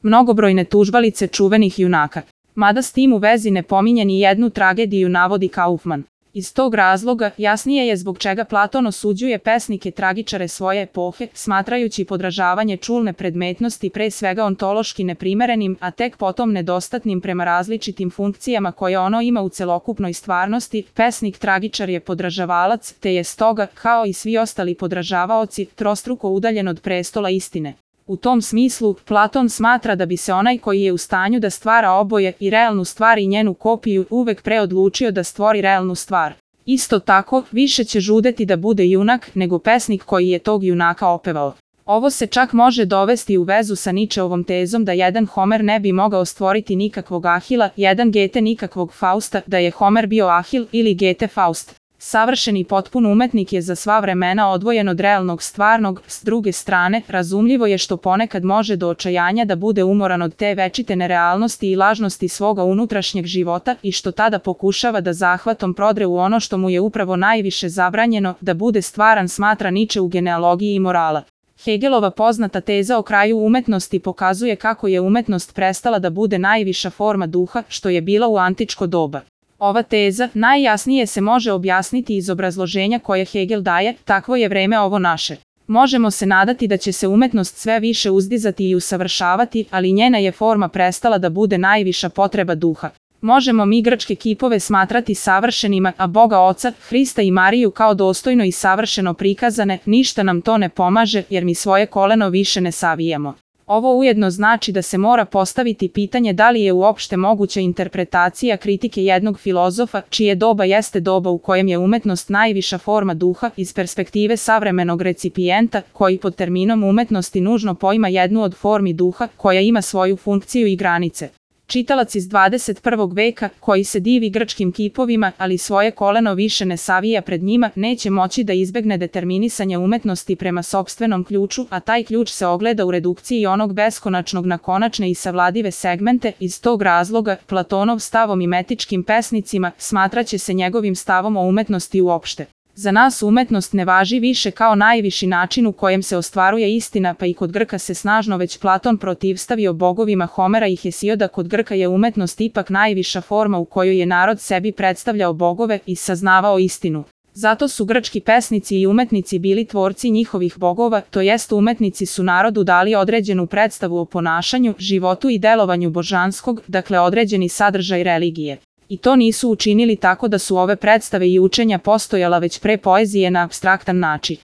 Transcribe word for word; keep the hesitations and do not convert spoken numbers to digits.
mnogobrojne tužbalice čuvenih junaka. Mada s tim u vezi ne pominje ni jednu tragediju, navodi Kaufman. Iz tog razloga jasnije je zbog čega Platon osuđuje pesnike tragičare svoje epohe, smatrajući podražavanje čulne predmetnosti pre svega ontološki neprimerenim, a tek potom nedostatnim prema različitim funkcijama koje ono ima u celokupnoj stvarnosti. Pesnik tragičar je podražavalac, te je stoga, kao i svi ostali podražavaoci, trostruko udaljen od prestola istine. U tom smislu, Platon smatra da bi se onaj koji je u stanju da stvara oboje, i realnu stvar i njenu kopiju, uvek pre odlučio da stvori realnu stvar. Isto tako, više će žudeti da bude junak nego pesnik koji je tog junaka opevao. Ovo se čak može dovesti u vezu sa Ničeovom tezom da jedan Homer ne bi mogao stvoriti nikakvog Ahila, jedan Gete nikakvog Fausta, da je Homer bio Ahil ili Gete Faust. Savršen i potpun umetnik je za sva vremena odvojen od realnog stvarnog. S druge strane, razumljivo je što ponekad može do očajanja da bude umoran od te večite nerealnosti i lažnosti svoga unutrašnjeg života i što tada pokušava da zahvatom prodre u ono što mu je upravo najviše zabranjeno, da bude stvaran, smatra Niče u Genealogiji i morala. Hegelova poznata teza o kraju umetnosti pokazuje kako je umetnost prestala da bude najviša forma duha, što je bila u antičko doba. Ova teza najjasnije se može objasniti iz obrazloženja koje Hegel daje: takvo je vreme ovo naše. Možemo se nadati da će se umetnost sve više uzdizati i usavršavati, ali njena je forma prestala da bude najviša potreba duha. Možemo mi grčke kipove smatrati savršenima, a Boga Oca, Hrista i Mariju kao dostojno i savršeno prikazane, ništa nam to ne pomaže jer mi svoje koleno više ne savijamo. Ovo ujedno znači da se mora postaviti pitanje da li je uopšte moguća interpretacija kritike jednog filozofa, čije doba jeste doba u kojem je umetnost najviša forma duha, iz perspektive savremenog recipijenta, koji pod terminom umetnosti nužno poima jednu od formi duha, koja ima svoju funkciju i granice. Čitalac iz dvadeset prvog veka, koji se divi grčkim kipovima, ali svoje koleno više ne savija pred njima, neće moći da izbegne determinisanje umetnosti prema sopstvenom ključu, a taj ključ se ogleda u redukciji onog beskonačnog na konačne i savladive segmente. Iz tog razloga, Platonov stav o mimetičkim pesnicima smatraće se njegovim stavom o umetnosti uopšte. Za nas umetnost ne važi više kao najviši način u kojem se ostvaruje istina, pa i kod Grka se snažno već Platon protivstavio bogovima Homera i Hesioda. Kod Grka je umetnost ipak najviša forma u kojoj je narod sebi predstavljao bogove i saznavao istinu. Zato su grčki pesnici i umetnici bili tvorci njihovih bogova, to jest umetnici su narodu dali određenu predstavu o ponašanju, životu i delovanju božanskog, dakle određeni sadržaj religije. I to nisu učinili tako da su ove predstave i učenja postojala već pre poezije na apstraktan način.